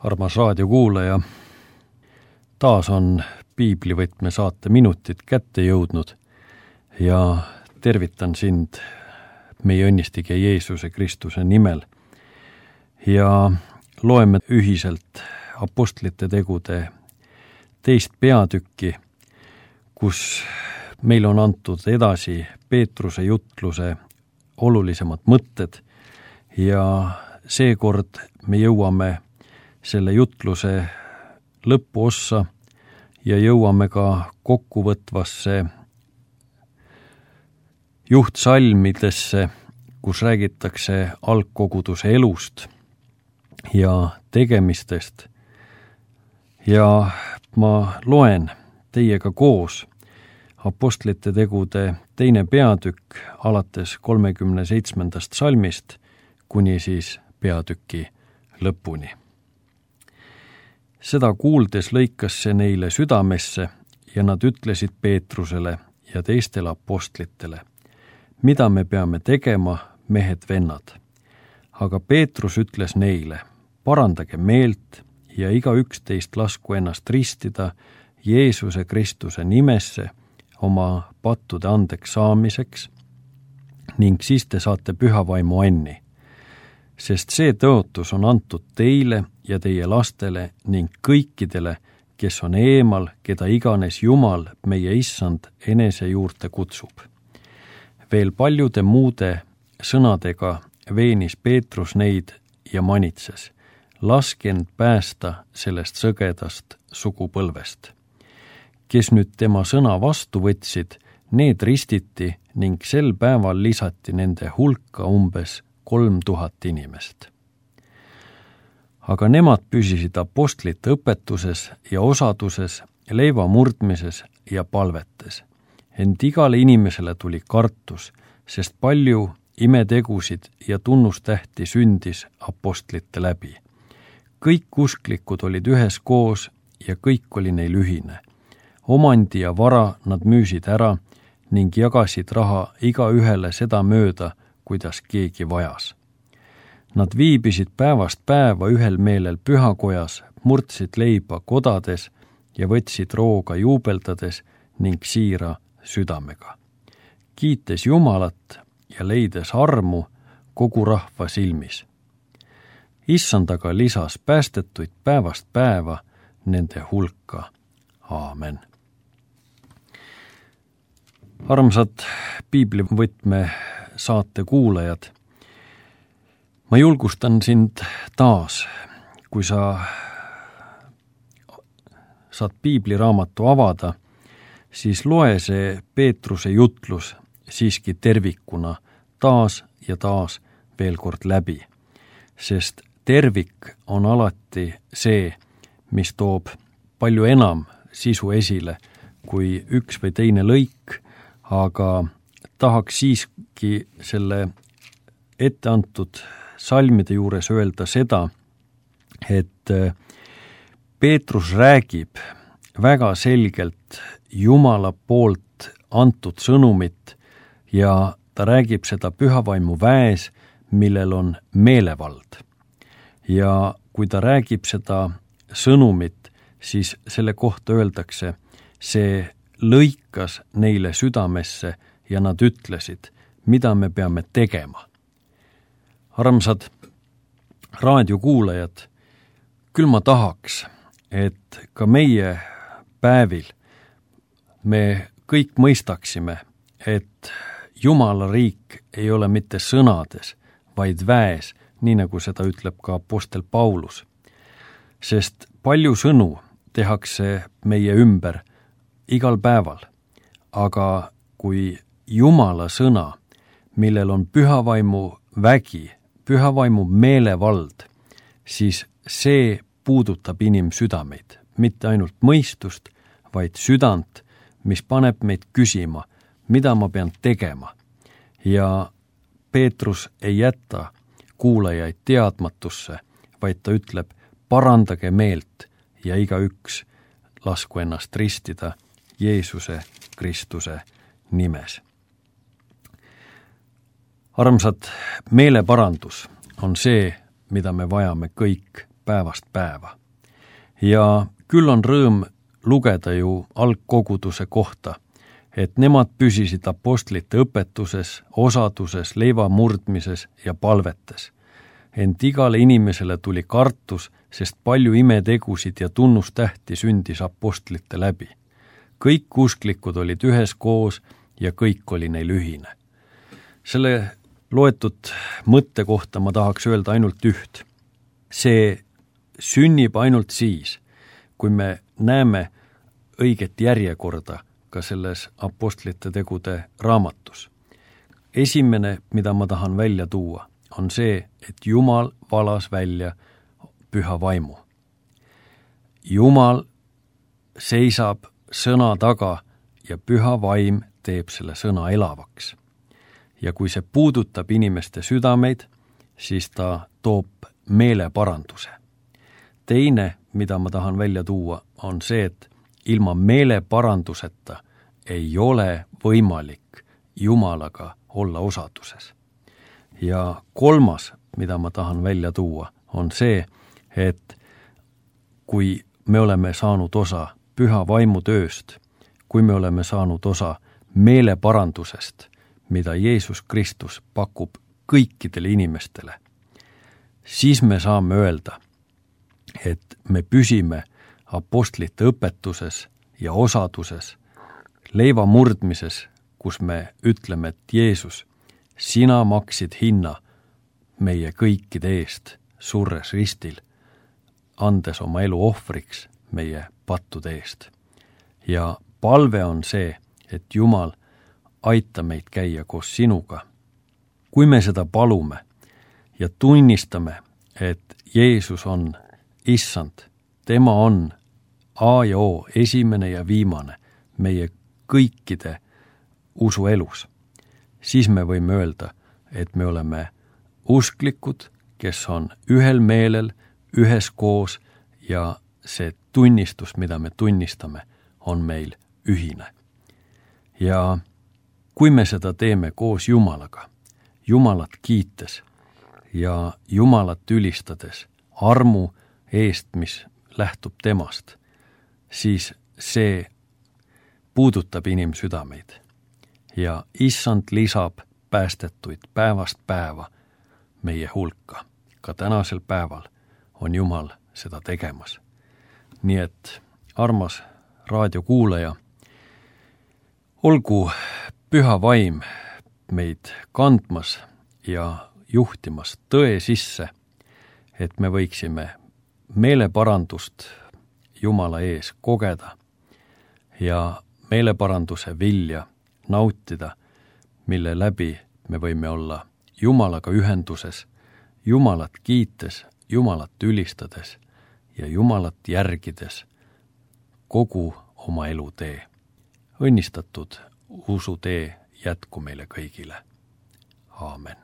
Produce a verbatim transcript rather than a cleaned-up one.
Armas raadiokuulaja, taas on piiblivõtme saate minutid kätte jõudnud ja tervitan sind meie õnnistige Jeesuse Kristuse nimel ja loeme ühiselt apostlite tegude teist peatükki, kus meil on antud edasi Peetruse jutluse olulisemad mõtted ja seekord me jõuame selle jutluse lõpuossa ja jõuame ka kokkuvõtvasse juhtsalmidesse, kus räägitakse algkoguduse elust ja tegemistest. Ja ma loen teiega koos apostlite tegude teine peatükk alates kolmekümne seitsmendast salmist kuni siis peatüki lõpuni. Seda kuuldes lõikas see neile südamesse ja nad ütlesid Peetrusele ja teistele apostlitele, mida me peame tegema, mehed vennad. Aga Peetrus ütles neile, parandage meelt ja igaüks teist lasku ennast ristida Jeesuse Kristuse nimesse oma pattude andeks saamiseks ning siis te saate pühavaimu anni. Sest see tõotus on antud teile ja teie lastele ning kõikidele, kes on eemal, keda iganes Jumal, meie issand, enese juurde kutsub. Veel paljude muude sõnadega veenis Peetrus neid ja manitses, laske end päästa sellest sõgedast sugupõlvest. Kes nüüd tema sõna vastu võtsid, need ristiti ning sel päeval lisati nende hulka umbes kolm tuhat inimest. Aga nemad püsisid apostlite õpetuses ja osaduses, leiva murdmises ja palvetes. Ent igale inimesele tuli kartus, sest palju imetegusid ja tunnustähti sündis apostlite läbi. Kõik usklikud olid ühes koos ja kõik oli neil ühine. Omandi ja vara nad müüsid ära ning jagasid raha iga ühele seda mööda, kuidas keegi vajas. Nad viibisid päevast päeva ühel meelel pühakojas, murdsid leiba kodades ja võtsid rooga juubeldades ning siira südamega. Kiites Jumalat ja leides armu kogu rahva silmis. Issandaga lisas päästetuid päevast päeva nende hulka. Aamen. Armsad piiblivõtme saate kuulajad, ma julgustan sind taas, kui sa saad piibliraamatu avada, siis loe see Peetruse jutlus siiski tervikuna taas ja taas veel kord läbi, sest tervik on alati see, mis toob palju enam sisu esile kui üks või teine lõik, aga tahaks siiski selle etteantud salmide juures öelda seda, et Peetrus räägib väga selgelt Jumala poolt antud sõnumit ja ta räägib seda pühavaimu väes, millel on meelevald. Ja kui ta räägib seda sõnumit, siis selle kohta öeldakse, see lõikas neile südamesse ja nad ütlesid, mida me peame tegema. Armsad raadiokuulajad, küll ma tahaks, et ka meie päevil me kõik mõistaksime, et Jumala riik ei ole mitte sõnades, vaid väes, nii nagu seda ütleb ka apostel Paulus. Sest palju sõnu tehakse meie ümber igal päeval, aga kui Jumala sõna, millel on pühavaimu vägi, pühavaimu meelevald, siis see puudutab inimsüdameid, mitte ainult mõistust, vaid südant, mis paneb meid küsima, mida ma pean tegema. Ja Peetrus ei jäta kuulajaid teadmatusse, vaid ta ütleb, parandage meelt ja igaüks lasku ennast ristida Jeesuse Kristuse nimes. Armsad, meeleparandus on see, mida me vajame kõik päevast päeva. Ja küll on rõõm lugeda ju algkoguduse kohta, et nemad püsisid apostlite õpetuses, osaduses, leiva murdmises ja palvetes. Ent igale inimesele tuli kartus, sest palju imetegusid ja tunnustähti sündis apostlite läbi. Kõik usklikud olid üheskoos ja kõik oli neil ühine. Selle loetud mõtte kohta ma tahaks öelda ainult üht. See sünnib ainult siis, kui me näeme õiget järjekorda ka selles apostlite tegude raamatus. Esimene, mida ma tahan välja tuua, on see, et Jumal valas välja püha vaimu. Jumal seisab sõna taga ja püha vaim teeb selle sõna elavaks. Ja kui see puudutab inimeste südameid, siis ta toob meeleparanduse. Teine, mida ma tahan välja tuua, on see, et ilma meeleparanduseta ei ole võimalik Jumalaga olla osaduses. Ja kolmas, mida ma tahan välja tuua, on see, et kui me oleme saanud osa püha vaimu tööst, kui me oleme saanud osa meeleparandusest, mida Jeesus Kristus pakub kõikidele inimestele, siis me saame öelda, et me püsime apostlite õpetuses ja osaduses, leiva murdmises, kus me ütleme, et Jeesus, sina maksid hinna meie kõikide eest surres ristil, andes oma elu ohvriks meie pattude eest. Ja palve on see, et Jumal aita meid käia koos sinuga. Kui me seda palume ja tunnistame, et Jeesus on issand, tema on A ja O, esimene ja viimane meie kõikide usuelus, siis me võime öelda, et me oleme usklikud, kes on ühel meelel, üheskoos ja see tunnistus, mida me tunnistame, on meil ühine. Ja kui me seda teeme koos Jumalaga, Jumalat kiites ja Jumalat ülistades armu eest, mis lähtub temast, siis see puudutab inimsüdameid ja issand lisab päästetuid päevast päeva meie hulka. Ka tänasel päeval on Jumal seda tegemas. Nii et armas raadiokuulaja, olgu püha vaim meid kandmas ja juhtimas tõe sisse, et me võiksime meeleparandust Jumala ees kogeda ja meeleparanduse vilja nautida, mille läbi me võime olla Jumalaga ühenduses, Jumalat kiites, Jumalat ülistades ja Jumalat järgides kogu oma elutee. Õnnistatud usutee jätku meile kõigile. Aamen.